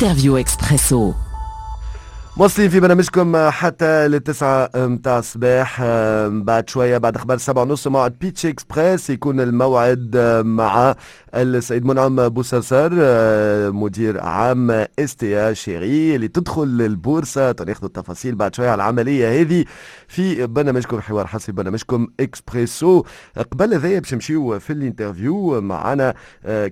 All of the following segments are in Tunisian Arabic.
Interview Expresso. مواصلين في برنامجكم حتى لل9 متاع الصباح. بعد شوية، بعد أخبار 7:30، موعد Pitch Express، يكون الموعد مع السيد منعم بوسرسر، مدير عام STA Chérie اللي تدخل البورصة. ناخذ التفاصيل بعد شوية على العملية هذه في برنامجكم حوار حصري، برنامجكم اكسبريسو. قبل هذايا باش نمشيو في l'interview، معنا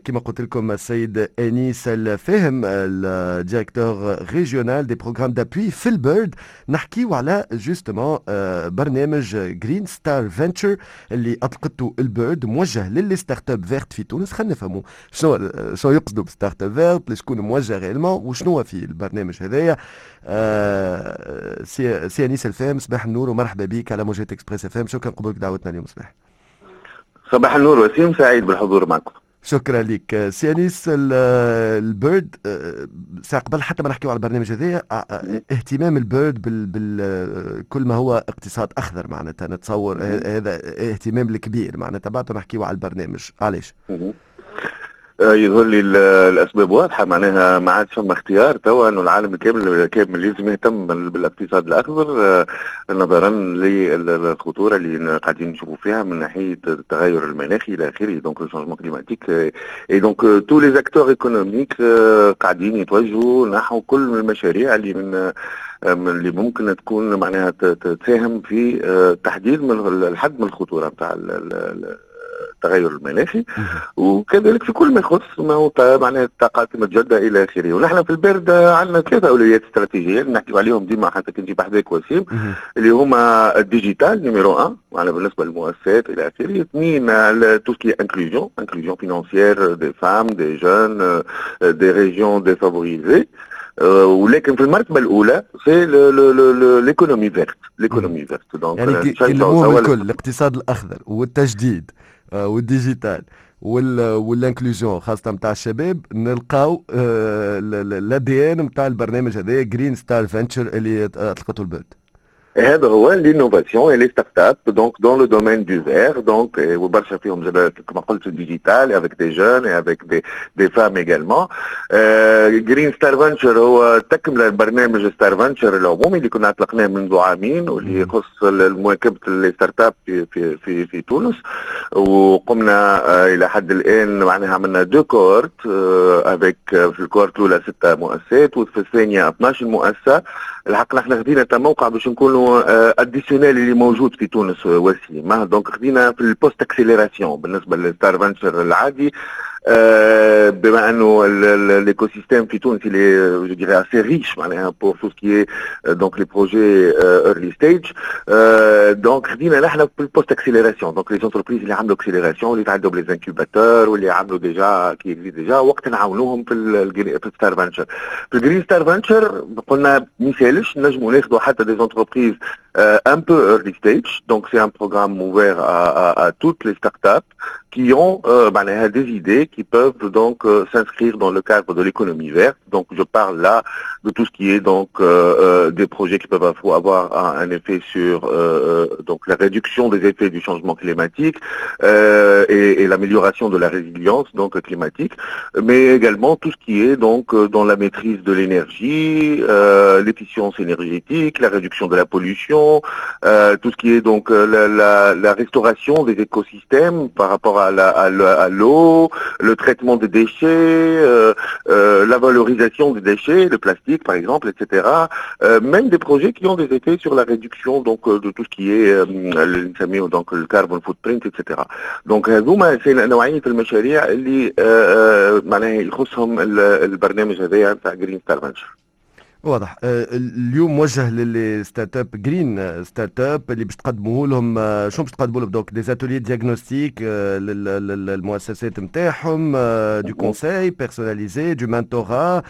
كما قلت لكم السيد انيس الفاهم، ال directeur régional des programmes d'appui في ال BERD. نحكيو على justement برنامج Green Star Venture اللي اطلقته ال BERD، موجه لل startups vertes في تونس. خلينا نفهموا شنو يقصدوا ب startup verte، لشكون موجه réellement، وشنو في البرنامج هذايا. سي انيس الفاهم، صباح النور ومرحبا بك على موجات Express FM. شكرا قبولك دعوتنا اليوم صباح. صباح النور وسيم، سعيد بالحضور معكم. شكرا لك سي انيس. ال BERD ساعة قبل حتى ما نحكيو على البرنامج هذايا، اهتمام ال BERD بال كل ما هو اقتصاد اخضر، معناتها نتصور هذا اهتمام الكبير، معناتها بعد نحكيو على البرنامج، علاش؟ يظهر لي الاسباب واضحه، معناها ما عادش فما اختيار توا، انه العالم كامل كامل لازم يهتم بالاقتصاد الاخضر نظرا للخطوره اللي قاعدين نشوفوا فيها من ناحية التغير المناخي الى اخره، donc le changement climatique، et donc tous les acteurs économiques قاعدين يتوجهوا نحو كل المشاريع اللي ممكن تكون معناها تساهم في تحديد من الحد من الخطورة نتاع التغير المناخي، وكذلك في كل ما يخص ما هو معناها الطاقات المتجددة الى اخره. ونحن في ال BERD عندنا ثلاثة اولويات استراتيجية نحكيو عليهم ديما، حتى كنت بحذاك وسيم، اللي هما ال digital numéro 1 معناها بالنسبة للمؤسسات الى اخره، اثنين tout ce qui est inclusion، inclusion financière des femmes، des jeunes، des régions défavorisées، ولكن في المرتبة الاولى c'est l'économie verte، l'économie verte. donc يعني كلموهم الكل، الاقتصاد الاخضر والتجديد وال digital وال inclusion خاصة نتاع الشباب، نلقاو l'ADN نتاع البرنامج هذا Green Star Venture اللي اطلقته ال BERD. هذا هو، l'innovation et les startups donc dans le domaine du vert، donc وبرشا فيهم زاد كما قلت digital، avec des jeunes et avec des femmes également. Green Star Venture هو تكمله البرنامج Star Venture العمومي اللي كنا اطلقناه منذ عامين، واللي يخص مواكبة les startups في تونس. وقمنا الى حد الان معناها عملنا deux cohortes، avec في ال cohorte الاولى ستة مؤسسات وفي الثانية 12 مؤسسه. الحق نحن خذينا تموقع باش نكونوا additionnel اللي موجود في تونس وسيم، donc خذينا في ال post accélération بالنسبة لل Star Venture العادي، بما انه l'écosystème في تونس il est، je dirais، assez riche معناها pour tout ce qui est donc les projets early stage، donc خدينا نحن في ال post accélération، donc les entreprises اللي عملوا accélération، اللي تعدوا ب les incubateurs واللي عملوا déjà، qui existent déjà، وقت نعاونوهم في ال Star Venture. في ال Green Star Venture قلنا ما يسالش، نجموا ناخذوا حتى des entreprises un peu early stage. Donc c'est un programme ouvert à toutes les startups qui ont معناها des idées qui peuvent donc s'inscrire dans le cadre de l'économie verte. Donc je parle là de tout ce qui est donc des projets qui peuvent avoir un effet sur donc la réduction des effets du changement climatique et l'amélioration de la résilience donc climatique, mais également tout ce qui est donc dans la maîtrise de l'énergie, l'efficience énergétique, la réduction de la pollution, tout ce qui est donc la restauration des écosystèmes par rapport à l'eau, le traitement des déchets, la valorisation des déchets, le plastique par exemple, etc. Même des projets qui ont des effets sur la réduction donc de tout ce qui est اللي نسميه donc le carbon footprint، etc. Donc هذوما c'est نوعية المشاريع اللي معناها يخصهم البرنامج هذايا نتاع Green Star Venture. واضح. اليوم موجه لل startups green startup، اللي باش تقدموه لهم شنو باش تقدموا لهم؟ donc des ateliers diagnostic للمؤسسات نتاعهم، du conseil personnalisé، du mentorat،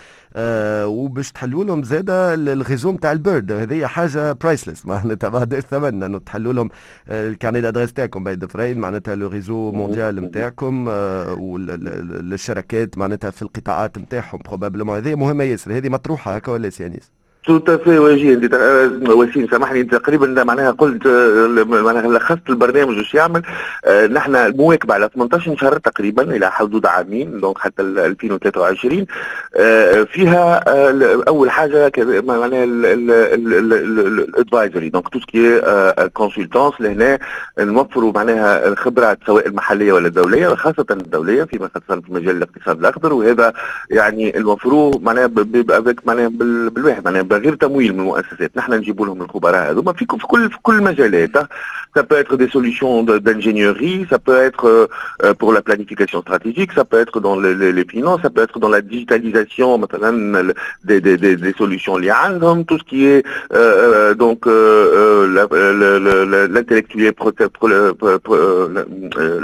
وباش تحلوا لهم زاده ال réseau نتاع ال BERD. هذه حاجة priceless، معناتها ما عندهاش ثمن، انه تحلوا لهم ال carnet d'adresses تاعكم بين ظفرين، معناتها le réseau mondial نتاعكم والشركات معناتها في القطاعات نتاعهم probablement. هذه مهمة ياسر، هذه مطروحة هكا ولا سي انيس؟ Tout à fait وجيه، انت وسيم، سامحني، انت تقريبا معناها قلت، معناها لخصت البرنامج وش يعمل. نحن المواكبه على 18 شهر تقريبا الى حدود عامين، donc حتى 2023. فيها اول حاجة معناها ال advisory، donc tout ce qui est consultance. لهنا نوفروا معناها الخبرات سواء المحلية ولا الدوليه، خاصة الدوليه، فيما خاصة في مجال الاقتصاد الاخضر. وهذا يعني نوفروه معناها معناها بالواحد معناها بغير تمويل من المؤسسات. نحن نجيب لهم الخبراء هذوما في كل المجالات. Ça peut être des solutions d'ingénierie, ça peut être pour la planification stratégique, ça peut être dans les finances, ça peut être dans la digitalisation مثلا des solutions اللي عندهم, tout ce qui est donc l'intellectuel,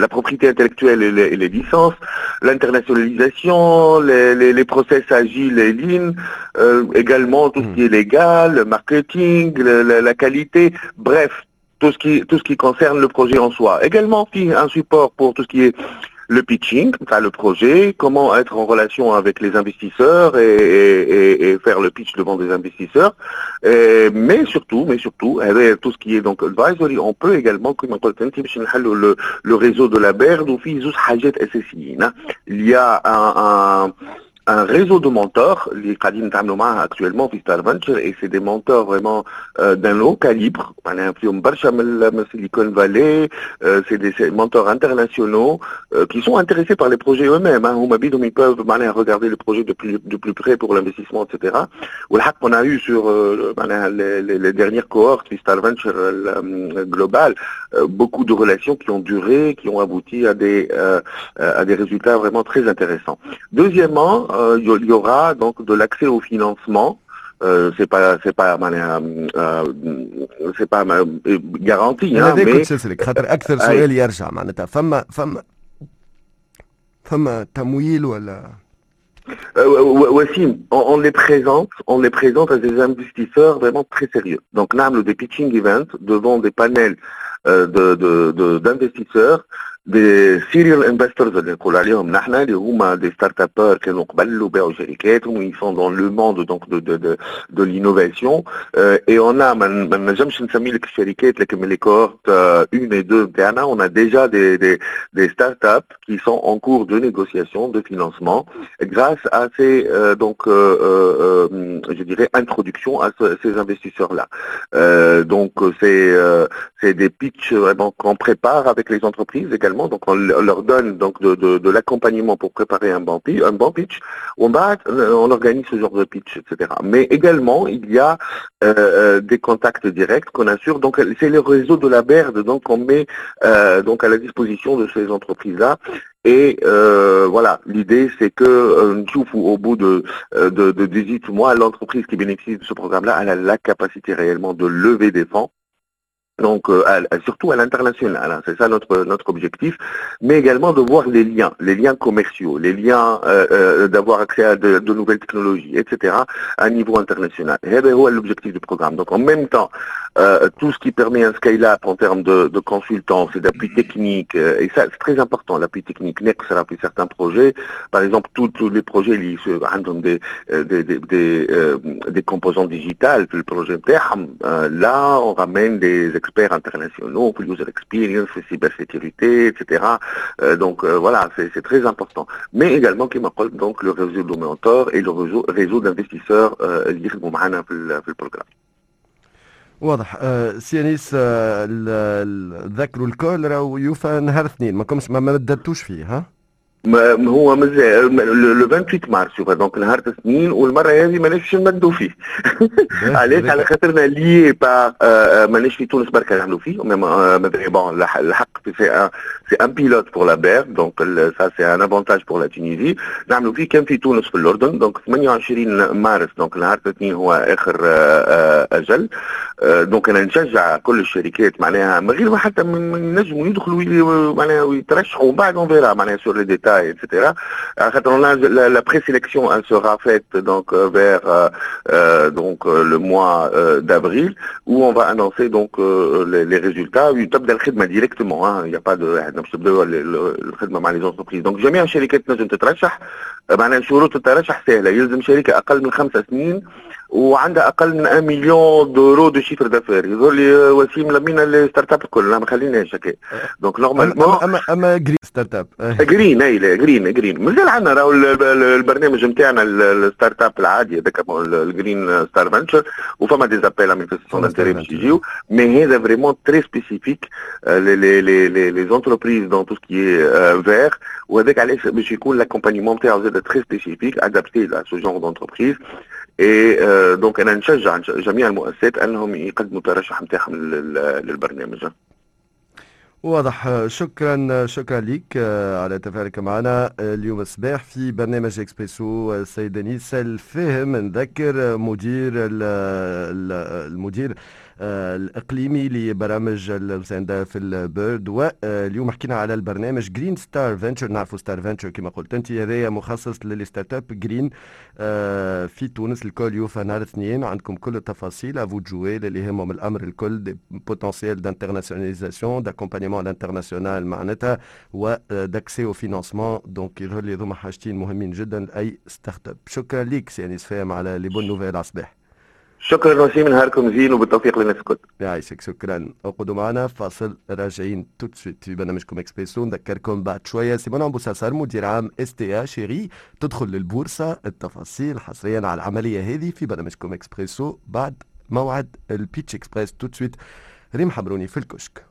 la propriété intellectuelle et les licences, l'internationalisation, les process agiles et lean, également tout ce qui est légal, le marketing, la qualité, bref, tout ce qui concerne le projet en soi. Également, un support pour tout ce qui est le pitching, enfin le projet, comment être en relation avec les investisseurs et faire le pitch devant des investisseurs. Mais surtout, avec tout ce qui est donc advisory, on peut également, كما قلت انت، باش نحلوا le réseau de la BERD وفيه زوج حاجات اساسيين. Il y a un réseau de mentors اللي قاعدين نتعاملوا معاها actuellement في Star Venture et c'est des mentors vraiment d'un haut calibre، معناها فيهم برشا من Silicon Valley, c'est des mentors internationaux qui sont intéressés par les projets eux-mêmes, hein. هما بيدهم ils peuvent معناها regarder le projet de plus près pour l'investissement, etc. والحق on a eu sur معناها les dernières cohortes في Star Venture Global beaucoup de relations qui ont duré, qui ont abouti à des résultats vraiment très intéressants. Deuxièmement, il y aura donc de l'accès au financement. C'est pas معناها c'est pas garanti hein, mais كنت نسألك خاطر اكثر سؤال يرجع معناتها فما تمويل ولا؟ Wassim, on les présente à des investisseurs vraiment très sérieux. Donc, نعملوا des pitching events devant des panels d'investisseurs, des serial investors اللي نقول عليهم نحن، اللي هما des startuppeurs كانوا قبل وباعوا شركاتهم، ils sont dans le monde donc de l'innovation et on a، ما نجمش نسمي لك الشركات، لكن من les cohortes 1 et 2 نتاعنا on a déjà des startups qui sont en cours de négociation de financement grâce à ces donc je dirais introduction à ces investisseurs là. Donc c'est des pitchs vraiment qu'on prépare avec les entreprises également. Donc on leur donne donc de l'accompagnement pour préparer un bon pitch. On va, on organise ce genre de pitch, etc. Mais également, il y a des contacts directs qu'on assure. Donc c'est le réseau de la BERD, donc on met donc à la disposition de ces entreprises-là. Et voilà, l'idée c'est que نشوفوا au bout de 18 mois, l'entreprise qui bénéficie de ce programme-là, elle a la capacité réellement de lever des fonds. Donc, surtout à l'international, hein, c'est ça notre objectif, mais également de voir les liens commerciaux, les liens d'avoir accès à de nouvelles technologies, etc., à un niveau international. هذا هو l'objectif du programme. Donc, en même temps, tout ce qui permet un scale-up en termes de consultance et d'appui technique, et ça c'est très important, l'appui technique, ناقص في certains projets, par exemple tous les projets اللي عندهم des composants digitales في ال projet نتاعهم, là on ramène des experts internationaux pour user experience, cybersécurité, etc. Donc voilà, c'est très important. Mais également, كما قلت, donc le réseau de mentors et le réseau d'investisseurs اللي يخدموا معنا في ال programme. واضح. سي انيس، ذكروا ال call راهو يوفى نهار اثنين، ما كمش ما مددتوش فيه ها؟ ما هو مازال le 28 مارس، donc نهار الاثنين، والمرة هذه ماناش نمدوا فيه. علاش؟ على خاطرنا liés par ماناش في تونس بركة نعملوا فيه. Bon، الحق c'est un pilote pour la BERD, donc ça c'est un avantage pour la Tunisie. نعملوا فيه كان في تونس، في الاردن. donc 28 مارس، donc نهار الاثنين هو اخر اجل. donc انا نشجع كل الشركات معناها من غير ما حتى نجموا يدخلوا معناها ويترشحوا، ومن بعد on verra معناها sur les détails, etc. La présélection, elle sera faite donc vers donc le mois d'avril où on va annoncer donc les résultats. تبدا الخدمة directement, hein, il n'y a pas de باش تبداو الخدمة مع les entreprises. donc جميع الشركات تنجم تترشح، معناها شروط الترشح سهله، يلزم شركة اقل من 5 سنين. وعندها اقل من 1 million d'euros de chiffre d'affaires. يظهر لي وسيم لمينا les startups الكل، ما خليناش هكا، donc normalement اما green startup. green، اي green green. مازال عندنا راهو البرنامج نتاعنا ال startup العادي هذاك ال Green Star Venture، وفما des appels à manifestation d'intérêt باش يجيو، mais هذا vraiment très spécifique les entreprises dans tout ce qui est vert. وهذاك علاش باش يكون l'accompagnement نتاعو زاد très spécifique، adapté à ce genre d'entreprise. et donc انا نشجع جميع المؤسسات انهم يقدموا الترشح نتاعهم للبرنامج. واضح، شكرا، شكرا لك على تفاعلك معنا اليوم الصباح في برنامج اكسبريسو السيد انيس الفاهم، نذكر المدير الاقليمي لبرامج المساندة في ال BERD. واليوم حكينا على البرنامج Green Star Venture. نعرفوا Star Venture كما قلت انت هذايا مخصص لل startups green في تونس. ال call يوفى نهار اثنين، عندكم كل التفاصيل، à vous de jouer اللي يهمهم الامر الكل des potentiels d'internationalisation، d'accompagnement international معناتها و d'accès au financement. donc يظهر لي هذوما حاجتين مهمين جدا لاي startup. شكرا لك سي انيس فاهم على les bonnes nouvelles على الصباح. شكرا وسيم، نهاركم زين وبالتوفيق للناس الكل. يعيشك، شكرا. اقعدوا معنا، فاصل، راجعين tout de suite في برنامجكم اكسبريسو. نذكركم بعد شوية سي منعم بوساسار مدير عام STA Chérie تدخل للبورصه. التفاصيل حصريا على العملية هذه في برنامجكم اكسبريسو بعد موعد ال Pitch Express. tout de suite ريم حبروني في الكشك.